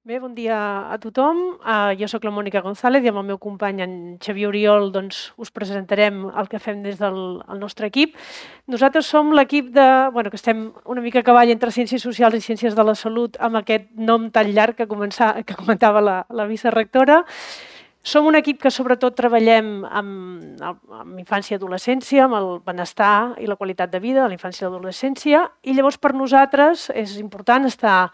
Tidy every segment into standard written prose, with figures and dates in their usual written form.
Bé, bon dia a tothom. Jo sóc la Mònica González i amb el meu company, en Xavier Oriol, us presentarem el que fem des del nostre equip. Nosaltres som l'equip que estem una mica a cavall entre Ciències Socials i Ciències de la Salut, amb aquest nom tan llarg que comentava la vicerectora. Som un equip que sobretot treballem amb infància i adolescència, amb el benestar i la qualitat de vida de la infància i l'adolescència, i llavors per nosaltres és important estar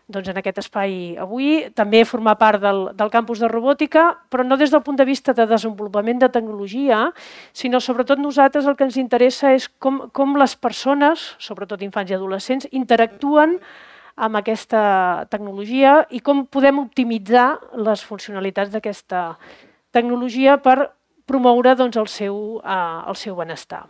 en aquest espai avui, també formar part del campus de robòtica, però no des del punt de vista de desenvolupament de tecnologia, sinó sobretot nosaltres el que ens interessa és com les persones, sobretot infants i adolescents, interactuen amb aquesta tecnologia i com podem optimitzar les funcionalitats d'aquesta tecnologia per promoure el seu benestar.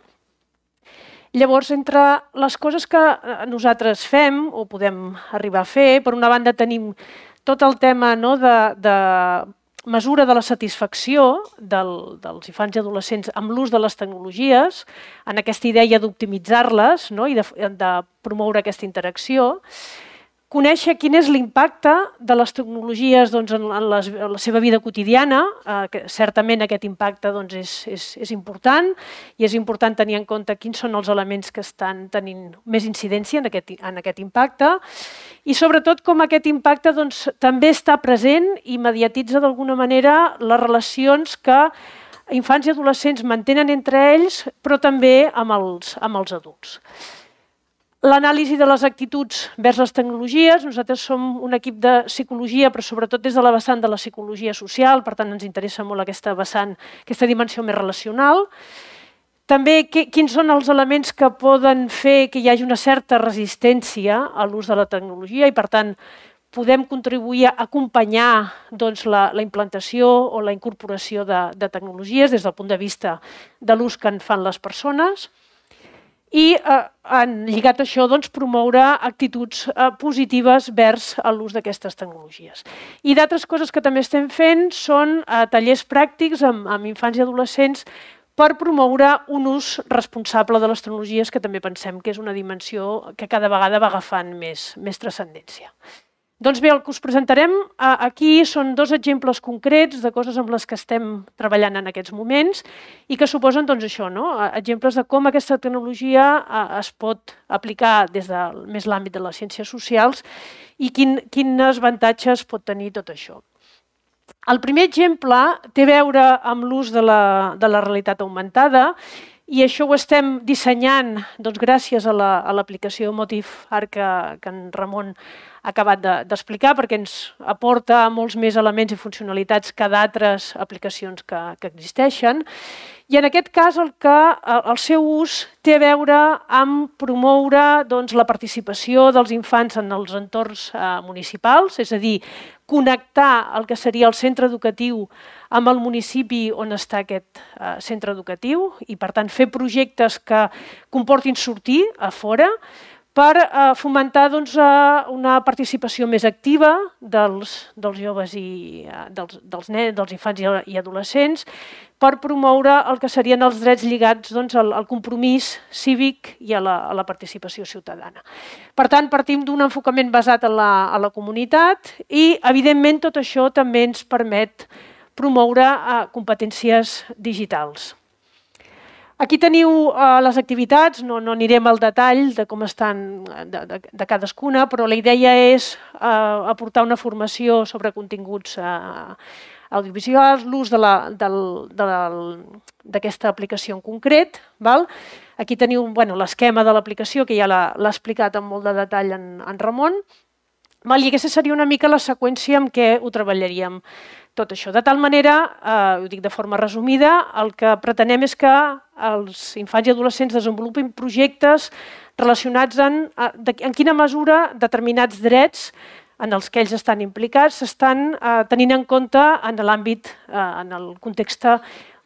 Llavors, entre les coses que nosaltres fem o podem arribar a fer, per una banda tenim tot el tema de mesura de la satisfacció dels infants i adolescents amb l'ús de les tecnologies, en aquesta idea d'optimitzar-les i de promoure aquesta interacció. Conèixer quin és l'impacte de les tecnologies en la seva vida quotidiana, que certament aquest impacte és important i és important tenir en compte quins són els elements que estan tenint més incidència en aquest impacte i sobretot com aquest impacte també està present i mediatitza d'alguna manera les relacions que infants i adolescents mantenen entre ells, però també amb els adults. L'anàlisi de les actituds vers les tecnologies. Nosaltres som un equip de psicologia, però sobretot des de la vessant de la psicologia social, per tant ens interessa molt aquesta vessant, aquesta dimensió més relacional. També quins són els elements que poden fer que hi hagi una certa resistència a l'ús de la tecnologia i per tant podem contribuir a acompanyar la implantació o la incorporació de tecnologies des del punt de vista de l'ús que en fan les persones. I lligat a això promoure actituds positives vers l'ús d'aquestes tecnologies. I d'altres coses que també estem fent són tallers pràctics amb infants i adolescents per promoure un ús responsable de les tecnologies, que també pensem que és una dimensió que cada vegada va agafant més transcendència. Doncs bé, el que us presentarem aquí són dos exemples concrets de coses amb les que estem treballant en aquests moments i que suposen exemples de com aquesta tecnologia es pot aplicar des de més l'àmbit de les ciències socials i quins avantatges pot tenir tot això. El primer exemple té a veure amb l'ús de la realitat augmentada i això ho estem dissenyant gràcies a l'aplicació MotiveArt que en Ramon ha acabat d'explicar, perquè ens aporta molts més elements i funcionalitats que d'altres aplicacions que existeixen. I en aquest cas el seu ús té a veure amb promoure la participació dels infants en els entorns municipals, és a dir, connectar el que seria el centre educatiu amb el municipi on està aquest centre educatiu i, per tant, fer projectes que comportin sortir a fora per fomentar una participació més activa dels joves i dels infants i adolescents, per promoure el que serien els drets lligats al compromís cívic i a la participació ciutadana. Per tant, partim d'un enfocament basat en la comunitat i, evidentment, tot això també ens permet promoure competències digitals. Aquí teniu les activitats, no anirem al detall de com estan de cadascuna, però la idea és aportar una formació sobre continguts audiovisuals, l'ús d'aquesta aplicació en concret. Aquí teniu l'esquema de l'aplicació, que ja l'ha explicat amb molt de detall en Ramon. I aquesta seria una mica la seqüència amb què ho treballaríem tot això. De tal manera, ho dic de forma resumida, el que pretenem és que els infants i adolescents desenvolupin projectes relacionats en quina mesura determinats drets en els que ells estan implicats s'estan tenint en compte en l'àmbit, en el context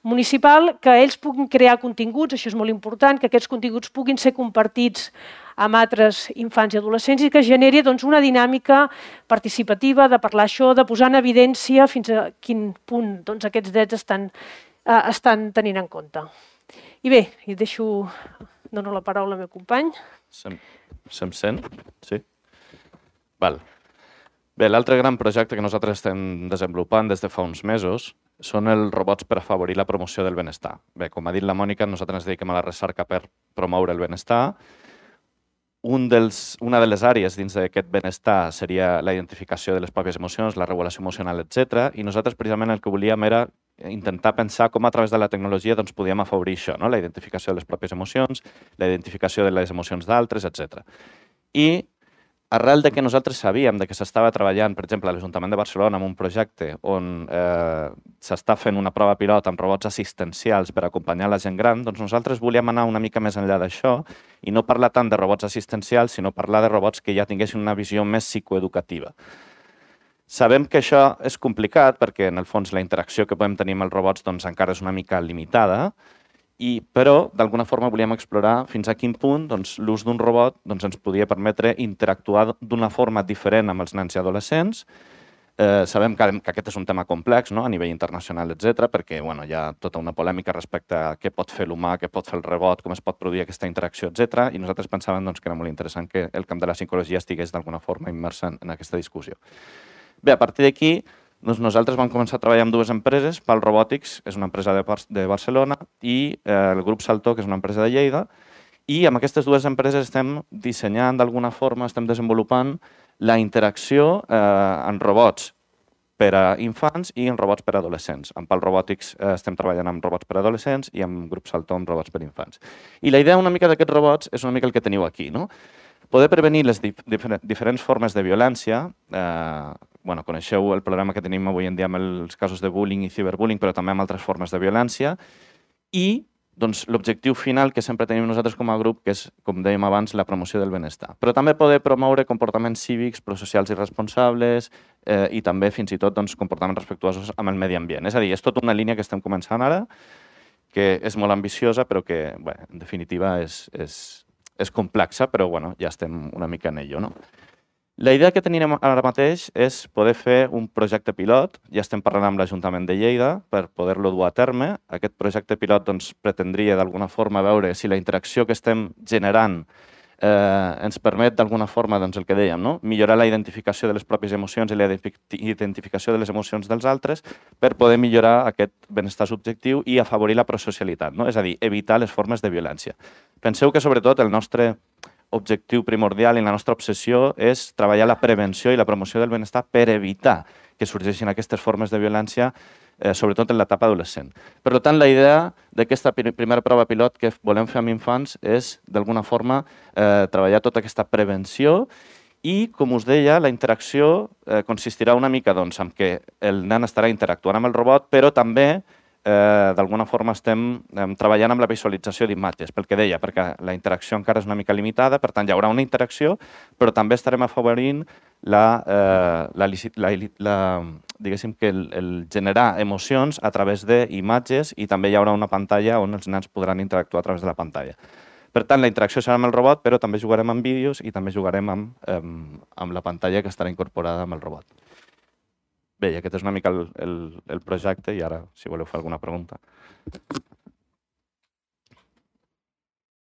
municipal, que ells puguin crear continguts, això és molt important, que aquests continguts puguin ser compartits amb altres infants i adolescents i que generi una dinàmica participativa de parlar això, de posar en evidència fins a quin punt aquests drets estan tenint en compte. I bé, dono la paraula al meu company. Se'm sent? Sí? Val. Bé, l'altre gran projecte que nosaltres estem desenvolupant des de fa uns mesos són els robots per afavorir la promoció del benestar. Bé, com ha dit la Mònica, nosaltres ens dediquem a la recerca per promoure el benestar. Una de les àrees dins d'aquest benestar seria la identificació de les pròpies emocions, la regulació emocional, etc. I nosaltres precisament el que volíem era intentar pensar com a través de la tecnologia podíem afavorir això, la identificació de les pròpies emocions, la identificació de les emocions d'altres, etc. I arrel de que nosaltres sabíem que s'estava treballant, per exemple, a l'Ajuntament de Barcelona en un projecte on s'està fent una prova pilot amb robots assistencials per acompanyar la gent gran, doncs nosaltres volíem anar una mica més enllà d'això i no parlar tant de robots assistencials, sinó parlar de robots que ja tinguessin una visió més psicoeducativa. Sabem que això és complicat perquè, en el fons, la interacció que podem tenir amb els robots encara és una mica limitada, però, d'alguna forma, volíem explorar fins a quin punt l'ús d'un robot ens podia permetre interactuar d'una forma diferent amb els nens i adolescents. Sabem que aquest és un tema complex a nivell internacional, etc., perquè hi ha tota una polèmica respecte a què pot fer l'humà, què pot fer el robot, com es pot produir aquesta interacció, etc. I nosaltres pensàvem que era molt interessant que el camp de la psicologia estigués d'alguna forma immers en aquesta discussió. Bé, a partir d'aquí, nosaltres vam començar a treballar amb dues empreses, PAL Robotics, és una empresa de Barcelona, i el grup Salto, que és una empresa de Lleida, i amb aquestes dues empreses estem dissenyant d'alguna forma, estem desenvolupant la interacció en robots per a infants i en robots per a adolescents. Amb PAL Robotics estem treballant amb robots per a adolescents i amb grup Salto amb robots per a infants. I la idea una mica d'aquests robots és una mica el que teniu aquí, poder prevenir les diferents formes de violència. Coneixeu el problema que tenim avui en dia amb els casos de bullying i ciberbullying, però també amb altres formes de violència. I l'objectiu final que sempre tenim nosaltres com a grup, que és, com dèiem abans, la promoció del benestar. Però també poder promoure comportaments cívics, prosocials i responsables i també, fins i tot, comportaments respectuosos amb el medi ambient. És a dir, és tota una línia que estem començant ara, que és molt ambiciosa, però que, en definitiva, és complexa, però ja estem una mica en ello. La idea que tenim ara mateix és poder fer un projecte pilot. Ja estem parlant amb l'Ajuntament de Lleida per poder-lo dur a terme. Aquest projecte pilot pretendria d'alguna forma veure si la interacció que estem generant ens permet d'alguna forma, el que dèiem, millorar la identificació de les pròpies emocions i la identificació de les emocions dels altres per poder millorar aquest benestar subjectiu i afavorir la prosocialitat, és a dir, evitar les formes de violència. Penseu que, sobretot, el nostre objectiu primordial i la nostra obsessió és treballar la prevenció i la promoció del benestar per evitar que sorgeixin aquestes formes de violència, sobretot en l'etapa adolescent. Per tant, la idea d'aquesta primera prova pilot que volem fer amb infants és, d'alguna forma, treballar tota aquesta prevenció i, com us deia, la interacció consistirà una mica en què el nen estarà interactuant amb el robot, però també d'alguna forma estem treballant amb la visualització d'imatges, pel que deia, perquè la interacció encara és una mica limitada, per tant, hi haurà una interacció, però també estarem afavorint diguéssim que el generar emocions a través d'imatges i també hi haurà una pantalla on els nens podran interactuar a través de la pantalla. Per tant, la interacció serà amb el robot, però també jugarem amb vídeos i també jugarem amb la pantalla que estarà incorporada amb el robot. Bé, i aquest és una mica el projecte i ara, si voleu fer alguna pregunta.